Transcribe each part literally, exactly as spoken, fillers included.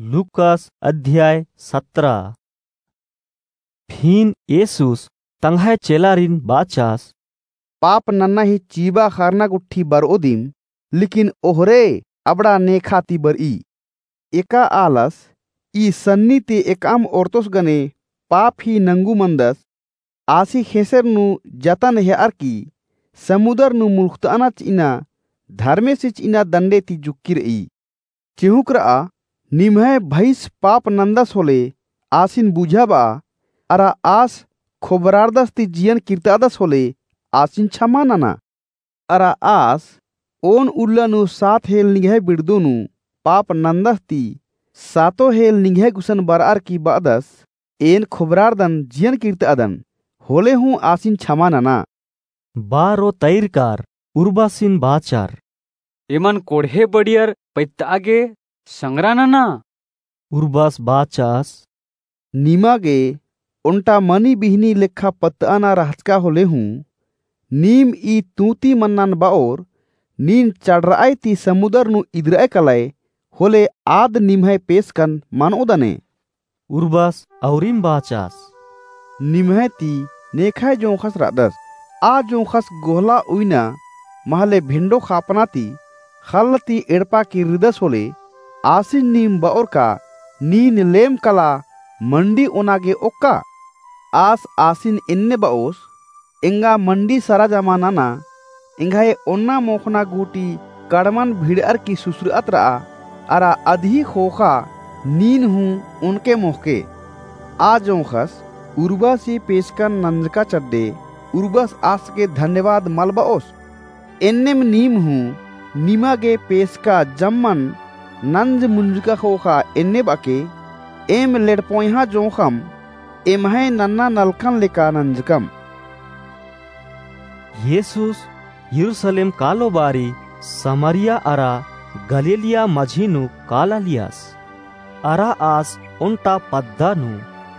लूकास अध्याय सतरा। फिन येसुस तंग्है चेलारिन बाचास, पाप नन्ना ही चीबा खरना गुट्ठी बरओ दिम, लेकिन ओहरे अबड़ा नेखा ती बरई। एका आलस ई सन्नी ती एकअम ओर्तोस गने पाप ही नंगू मंदस, आसी ख़ेसेर नू जतन हेअर की समुदर नू मुल्ख़तअना चिअना धर्मेसी चिअना दंडे ती जुक्की रई। चिहुंक रआ, निम्है भइस पाप नन्दस होले आसिन बुझाबआ, अरा आस खोबरारदस ती जियन किर्तादस होले आसिन छमा नना। अरा आस ओन उल्ला नू सात हेल निंग्है बिड़दो नू पाप नन्दस ती सातो हेल निंग्है गुसन बरअर की बअदस, एन खोबरारदन जियन किर्तादन, होले हूँ आसिन छमा नना। बारो तैरकार उर्बासिन बाचर, एमन कोड़हे बड़ियर पैत्तआ गे संगरा नना। उर्बास बाचास, निमा गे ओन्टा मनी बिहनी लेखा पत्तअना रहचका होले हूँ, नीम ई तूती मन्नन बओर, नीन चड़रअय ती समुदर नू इदरअय कलय, होले आद निम्है पेसकन मनओदने। उर्बास अउरिम बाचास, निम्है ती नेखय जोंख़स रअदस, आ जोंख़स गोहला उइना महले भेंडो खापना ती ख़ल्ल ती एड़पा किर्रिदस होले, आसिन नीम बओर का, नीन लेम कला मंडी ओना गे ओक्का? आस आसिन एन्ने बओस, एंगा मंडी सरा जमा नना, एंग्है ओन्ना मोख़ना गूटी कड़मन भिड़अर की सुसरअत रआ, अरा अदही ख़ोख़ा नीन हूँ ओनके मोख़के। आ जोंख़स उर्बासी पेसकन नंजका चड्डे उर्बास आस गे धन्यवाद मल बओस। एन्नेम नीम हूँ निमा गे पेसका जम्मन नंज मुंजका ख़ोख़ा एन्ने बअके, एम लेड़पोंयहा जोंख़म एम्है नन्ना नलखन लेका नंजकम। येसुस यरूसलेम कालो बारी समरिया अरा गलीलिया मझी नू कालालियस। अरा आस ओन्टा पद्दा नू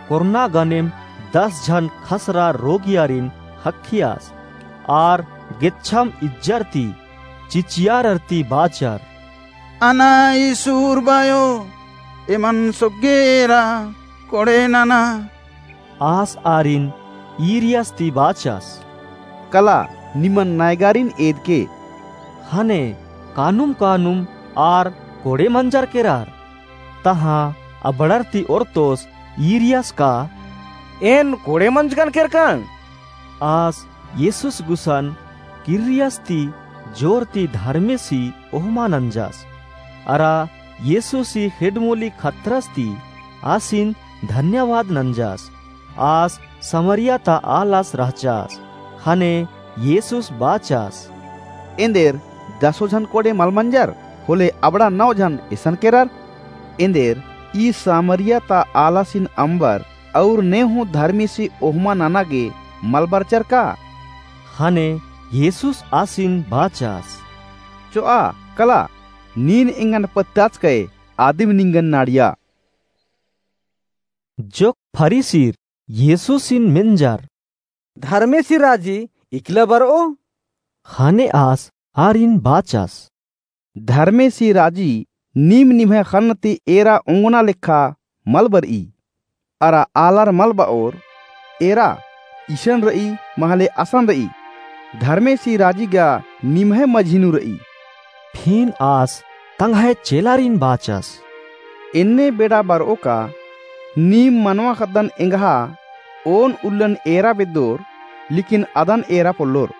कोरना गनेम दस झन खसरा रोगियारिन ख़क्खियस, आर गेच्छम इज्जर ती चिचियारर ती बाचर, अना ईस उर्बायो, एमन सोग्गे एरा कोड़े नना। आस आरिन ईरियस ती बाचस, कला, निमन नैगारिन एदके। ख़ने कानुम कानुम आर कोड़े मंजर केरर। तहाँ अबड़र ती ओर्तोस ईरियस का, एन कोड़े मंजकन केरकन? आस येसुस गुसन किर्रियस ती जोर ती धर्मेसी ओहमा नंजस। अरा येसुसी ख़ेड्डमोली खतरस ती आसिन धन्यवाद नंजस। आस समरिया ता आलस रहचस। ख़ने येसुस बाचस, एन्देर दसो झन कोड़े मल मंजर, होले अबड़ा नौ झन एसन केरर। एन्देर ई समरिया ता आलासिन अम्बर अउर ने हूँ धर्मेसी ओहमा नना गे मल बरचर का? ख़ने येसुस आसिन बाचस, चोआ, कला, नीन एंगन पत्ताचकय आदिम निंगन नाड़िया। जोक फरीसीर येसुसिन मेंजर, धर्मेसी राजी इकला बरओ? ख़ने आस आरिन बाचस, धर्मेसी राजी नीम निम्है ख़न्न ती एरा ओंगना लेखा मल बरई। अरा आलर मल बओर, एरा इसन रई, महले असन रई, धर्मेसी राजी गा निम्है मझी नू रई। फिन आस तंग्है चेलारिन बाचस, एन्ने बेड़ा बरओ का, नीम मनवा ख़द्दन एंग्हा ओन उल्लन एरा बेद्दोर, लेकिन अदन एरा पोल्लोर।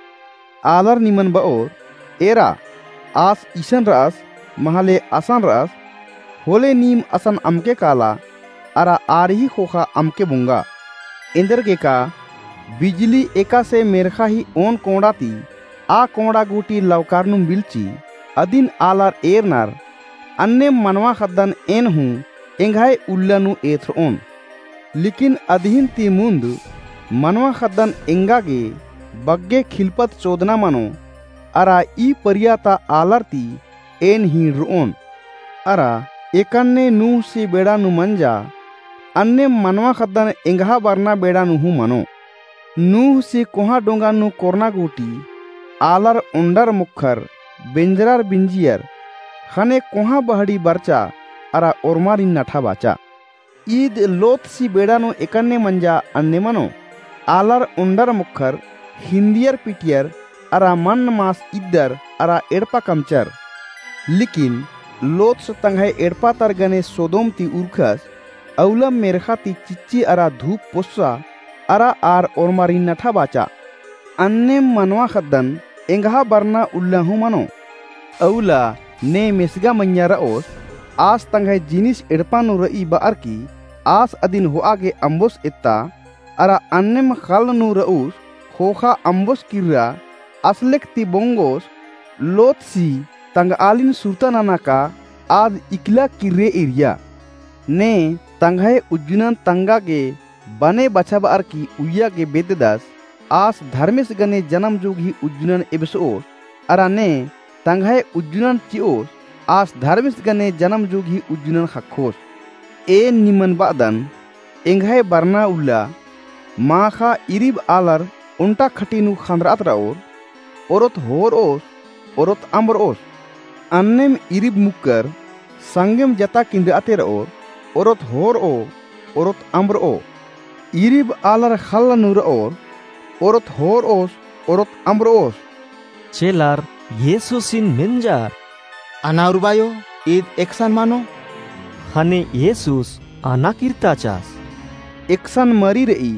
आलर निमन बओर, एरा, आस इसन रअस, महले असन रअस, होले नीम असन अमके काला, अरा आर ही ख़ोख़ा अमके बोंगा। एन्देरगेका बिजली एकासे मेर्ख़ा ही ओन कोंड़ा ती आ कोंड़ा गूटी लवकारनुम बिल्ची, अदिन आलर एरनर, अन्नेम मनवा ख़द्दन एन हूँ एंग्है उल्ला नू एथरओन। लेकिन अदिहिन ती मुन्द मनवा ख़द्दन एंगा गे बग्गे खिलपत चोदना मनो, अरा ई परिया ता आलर ती एन हिंड़रओन। अरा एकन्ने नूहसी बेड़ा नू मंजा, अन्नेम मनवा ख़द्दन एंग्हा बरना बेड़ा नू हूँ मनो। नूहसी कोहाँ डोंगा नू कोरना गूटी आलर ओन्डर मोख़र, बेंजरर बिंजियर, ख़ने कोहाँ बहड़ी बरचा अरा ओर्मारिन नठा बाचा। ईद लोतसी बेड़ा नू एकन्ने मंजा अन्ने मनो। आलर ओन्डर मोख़र, हिन्दियर पिटियर अरा मन्न मास इद्दर अरा एड़पा कमचर। लेकिन लोतस तंग्है एड़पा तर गने सोदोम ती उरखस, अउलम मेर्ख़ा ती चिच्ची अरा धूप पोस्सा अरा आर ओर्मारिन नठा बाचा। अन्नेम मनवा ख़द्दन एंग्हा बरना उल्ला हूँ मनो। अउला ने मेसगा मइय्याँ रओस, आस तंग्है जिनिस एड़पा नू रई बअर की आस अदिन होआ गे अम्बोस एत्ता, अरा अन्नेम ख़ल्ल नू रऊस ख़ोख़ा अम्बोस किर्रा, असलेक ती बोंगोस, लोतसी तंगआलिन सुरता नना का आद इकला किर्रे एरिया। ने तंग्है उज्जुनन तंगा गे बने बछाबअर की उइया गे बेद्ददस, आस धर्मेस गने जनम जोगही उज्जुनन एबसओस, अरा ने तंग्है उज्जुनन चिओस, आस धर्मेस गने जनम जोगही उज्जुनन ख़क्खोस। एन निमन बअदन, एंग्है बरना उल्ला, माख़ा इरिब आलर ओन्टा खटी नू ख़न्दरअत रओर, ओरोत होरओस, ओरोत अम्बरओस। अन्नेम इरिब मुक्कर संगेम जता किन्द्रअते रओर, ओरोत होरओ, ओरोत अम्बरओ। इरिब आलर ख़ल्ल नू रओर, ओरोत होरओस, ओरोत अम्बरओस। चेलर येसुसिन मेंजर, अना उर्बायो, ईद एकसन मनो। ख़ने येसुस अना किर्ताचस, एकसन मरी रई,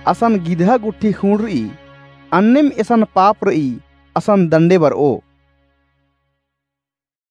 असन गिदहा गुट्ठी खूँड़ रई, अन्नेम एसन पाप रई, असन दंडे बरओ।